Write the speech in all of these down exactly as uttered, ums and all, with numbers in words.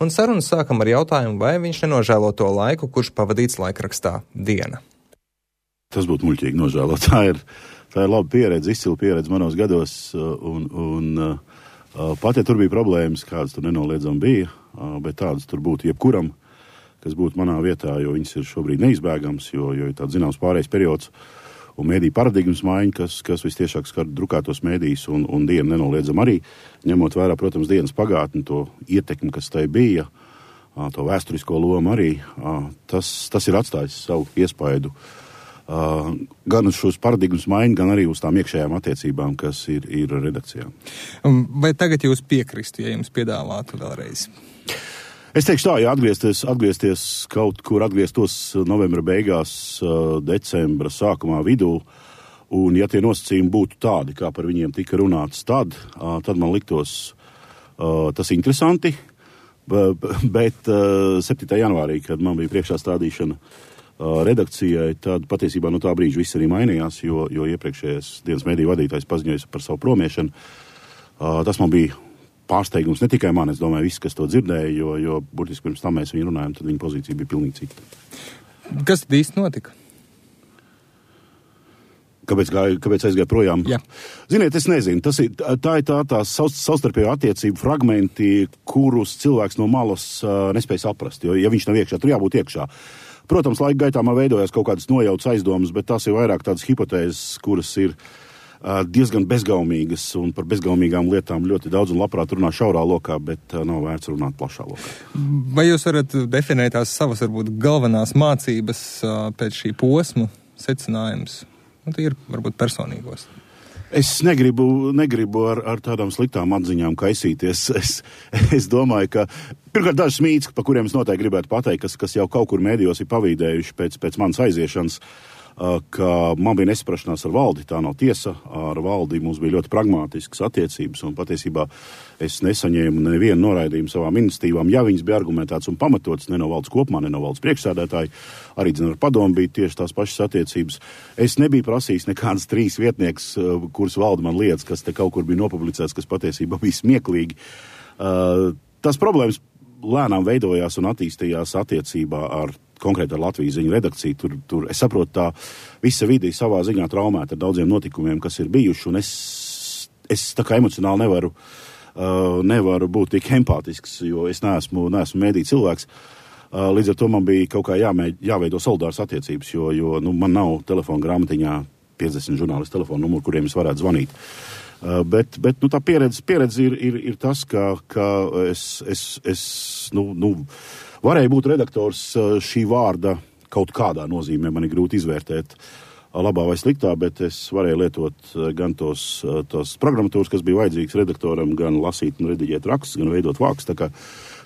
un sarunas sākam ar jautājumu, vai viņš nenožēlo to laiku, kurš pavadīts laikrakstā Diena. Tas būtu muļķīgi nožēlot. Tā ir, tā ir laba pieredze, izcila pieredze manos gados, un, un pat, ja tur bija problēmas, kādas tur nenoliedzami bija, bet tādas tur būtu jebkuram, kas būtu manā vietā, jo viņas ir šobrīd neizbēgams, jo, jo ir tāds zināms pārējais periods un mēdīju paradigmas maiņa, kas, kas vistiešāk skar drukātos mēdījus un, un Dienu nenoliedzam arī, ņemot vērā, protams, Dienas pagātni, to ietekmi, kas tai bija, to vēsturisko lomu arī, tas, tas ir atstājis savu iespaidu gan uz šos paradigmas maiņu, gan arī uz tām iekšējām attiecībām, kas ir, ir redakcijā. Vai tagad jūs piekristu, ja jums piedāvātu vēlreiz? Es teikšu tā, ja atgriezties, atgriezties kaut kur, atgrieztos novembra beigās, decembra sākumā vidū, un ja tie nosacījumi būtu tādi, kā par viņiem tika runāts tad, tad man liktos tas interesanti, bet septītā janvārī, kad man bija priekšā stādīšana redakcijai, tad patiesībā no tā brīža viss arī mainījās, jo, jo iepriekšējais Dienas mediju vadītājs paziņoja par savu promiešanu. Tas man bija pārsteigums, ne tikai man, es domāju, visi, kas to dzirdēja, jo, jo burtiski pirms tam mēs viņu runājam, tad viņa pozīcija bija pilnīgi cita. Kas tad īsti notika? Kāpēc, gāja, kāpēc aizgāja projām? Jā. Ziniet, es nezinu, tas ir, tā ir tā, tā savstarpējo attiecību fragmenti, kurus cilvēks no malas uh, nespēja saprast, jo, ja viņš nav iekšā, tur jābūt iekšā. Protams, laika gaitā man veidojās kaut kādas nojautas aizdomas, bet tās ir vairāk tādas hipotēzes, kuras ir diezgan bezgaumīgas, un par bezgaumīgām lietām ļoti daudz un labprāt runā šaurā lokā, bet nav vērts runāt plašā lokā. Vai jūs varat definēt tās savas, varbūt, galvenās mācības pēc šī posma secinājums? Un tie ir, varbūt, personīgos. Es negribu, negribu ar, ar tādām sliktām atziņām kaisīties. Es, es domāju, ka pirmkārt dažas mīts, pa kuriem es noteikti gribētu pateikt, kas, kas jau kaut kur mēdījos ir pavīdējuši pēc, pēc manas aiziešanas, ka man bija nesaprašanās ar valdi, tā nav tiesa, ar valdi mums bija ļoti pragmātiskas attiecības, un patiesībā es nesaņēmu nevienu noraidījumu savām iniciatīvām, ja viņas bija argumentētas un pamatotas, ne no valdes kopumā, ne no valdes priekšsēdētāji, arī dzin ar padomu bija tieši tās pašas attiecības. Es nebiju prasījis nekādas trīs vietnieks, kuras valde man liedz, kas te kaut kur bija nopublicēts, kas patiesībā bija smieklīgi. Tas problēmas lēnām veidojās un attīstījās attiecībā ar konkrēti ar Latvijas ziņu redakciju. Tur, tur, es saprotu, tā visa vide savā ziņā traumēta ar daudziem notikumiem, kas ir bijuši, un es, es tā kā emocionāli nevaru, uh, nevaru būt tik empātisks, jo es neesmu, neesmu mēdī cilvēks. Uh, līdz ar to man bija kaut kā jāmēģ, jāveido solidāras attiecības, jo, jo nu, man nav telefona grāmatiņā piecdesmit žurnālistu telefonu numuru, kuriem es varētu zvanīt. Uh, bet bet nu, tā pieredze, pieredze ir, ir, ir tas, ka, ka es, es, es nu, nu, varēja būt redaktors šī vārda kaut kādā nozīmē, man ir grūti izvērtēt labā vai sliktā, bet es varēju lietot gan tos, tos programmatūras, kas bija vajadzīgs redaktoram, gan lasīt un rediģēt rakstus, gan veidot vākus. Tā kā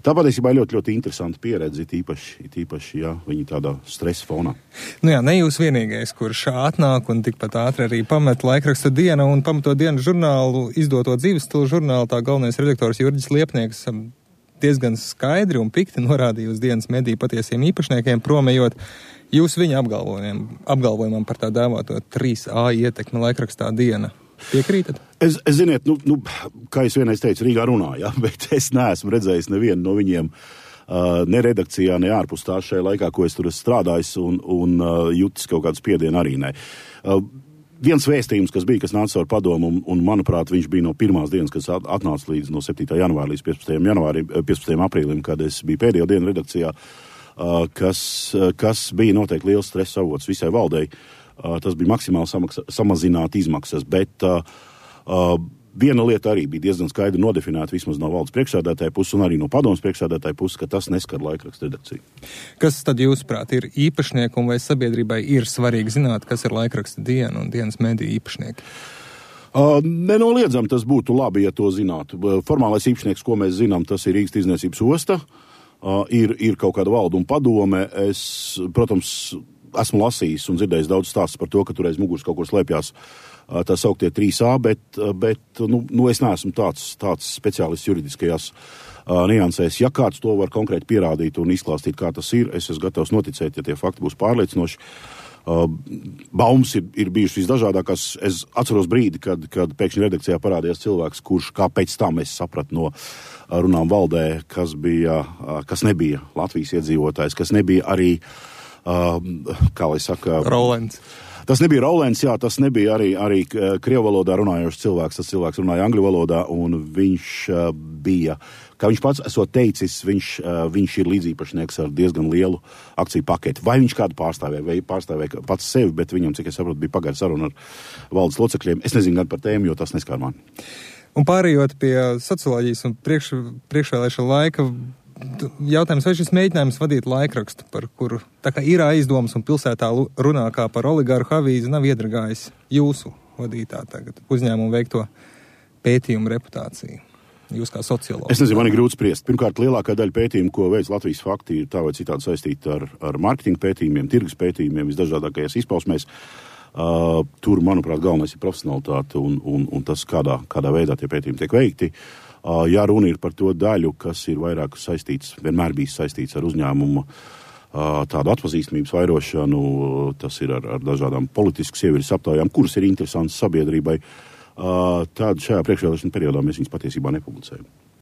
tā patiesībā ir ļoti, ļoti interesanta pieredze, tīpaši, tīpaši, ja viņi tādā stresa fonā. Nu jā, ne jūs vienīgais, kurš atnāk un tikpat ātri arī pamet laikraksta Diena un pamato Dienas žurnālu, izdoto dzīves stilu žurnālu, tā galvenais redaktors Jurģis Liepnieks diezgan skaidri un pikti norādīja uz Dienas mediju patiesiem īpašniekiem, promējot jūs viņa apgalvojumiem, apgalvojumam par tā dēvāto trīs A ietekmi laikrakstā Diena. Piekrītat? Es, es ziniet, nu, nu, kā es vienreiz teicu, Rīgā runāju, ja, bet es neesmu redzējis nevienu no viņiem uh, ne redakcijā, ne ārpus tā šajā laikā, ko es tur esmu strādājis, un, un uh, jutis kaut kādu spiedienu arī ne. Uh, Viens vēstījums, kas bija, kas nāca ar padomu, un, un, manuprāt, viņš bija no pirmās dienas, kas atnāca līdz no septītā janvāra līdz piecpadsmitajam janvārim, piecpadsmitajam aprīlim, kad es biju pēdējo dienu redakcijā, kas, kas bija noteikti liels stresa avots visai valdei. Tas bija maksimāli samaksa, samazināt izmaksas, bet uh, uh, viena lieta arī bija diezgan skaidri nodefinēta vismaz no valdes priekšsēdētāja puses un arī no padomas priekšsēdētāja puses, ka tas neskar laikraksta redakciju. Kas tad jūsuprāt ir īpašnieki un vai sabiedrībai ir svarīgi zināt, kas ir laikraksta Diena un Dienas mediju īpašnieki? Uh, nenoliedzam, tas būtu labi, ja to zinātu. Formālais īpašnieks, ko mēs zinām, tas ir Rīgas tirdzniecības osta, uh, ir, ir kaut kāda valda un padome. Es, protams, esmu lasījis un dzirdējis daudz stāstus par to, ka tur aiz muguras kaut kur slēpjās tā sauktie trīs A, bet, bet nu, nu es neesmu tāds, tāds speciālists juridiskajās uh, niansēs. Ja kāds to var konkrēti pierādīt un izklāstīt, kā tas ir, es esmu gatavs noticēt, ja tie fakti būs pārliecinoši. Uh, baumas ir, ir bijušas visdažādākās. Es atceros brīdi, kad, kad pēkšņi redakcijā parādījās cilvēks, kurš kā pēc tam es sapratu no runām valdē, kas bija, kas nebija Latvijas iedzīvotājs, kas nebija arī, uh, kā lai saka... Rolens. Tas nebija Rolens, jā, tas nebija arī, arī krievu valodā runājošs cilvēks, tas cilvēks runāja angļu valodā, un viņš uh, bija, kā viņš pats esot teicis, viņš, uh, viņš ir līdzīpašnieks ar diezgan lielu akciju paketi. Vai viņš kādu pārstāvēja, vai pārstāvēja pats sevi, bet viņam, cik es saprotu, bija pagara saruna ar valdes locekļiem. Es nezinu gan par tēmu, jo tas neskar mani. Un pārējot pie socioloģijas un priekš, priekšvēlēšana laika, jautājums, vai šis mēģinājums vadīt laikrakstu, par kuru tā kā ir aizdomas un pilsētā runā kā par oligarhu avīzi, nav iedragājis jūsu vadītā tagad uzņēmumu veikto pētījumu reputāciju? Jūs kā sociologi. Es nezinu, man ir grūti spriest. Pirmkārt, lielākā daļa pētījumu, ko veids Latvijas fakti, ir tā vai citādi saistīta ar, ar mārketinga pētījumiem, tirgus pētījumiem, visdažādākajās izpausmēs. Uh, tur, manuprāt, galvenais ir profesionalitāte un, un, un tas, kādā, kādā veidā tie pētījumi tiek veikti. Uh, jā, runa ir par to daļu, kas ir vairāk saistīts, vienmēr bijis saistīts ar uzņēmumu uh, tādu atpazīstamības vairošanu, tas ir ar, ar dažādām politiskas sievietes aptaujām, kuras ir interesantas sabiedrībai. Uh, tad šajā priekšvēlēšana periodā mēs viņas patiesībā nepublicējam.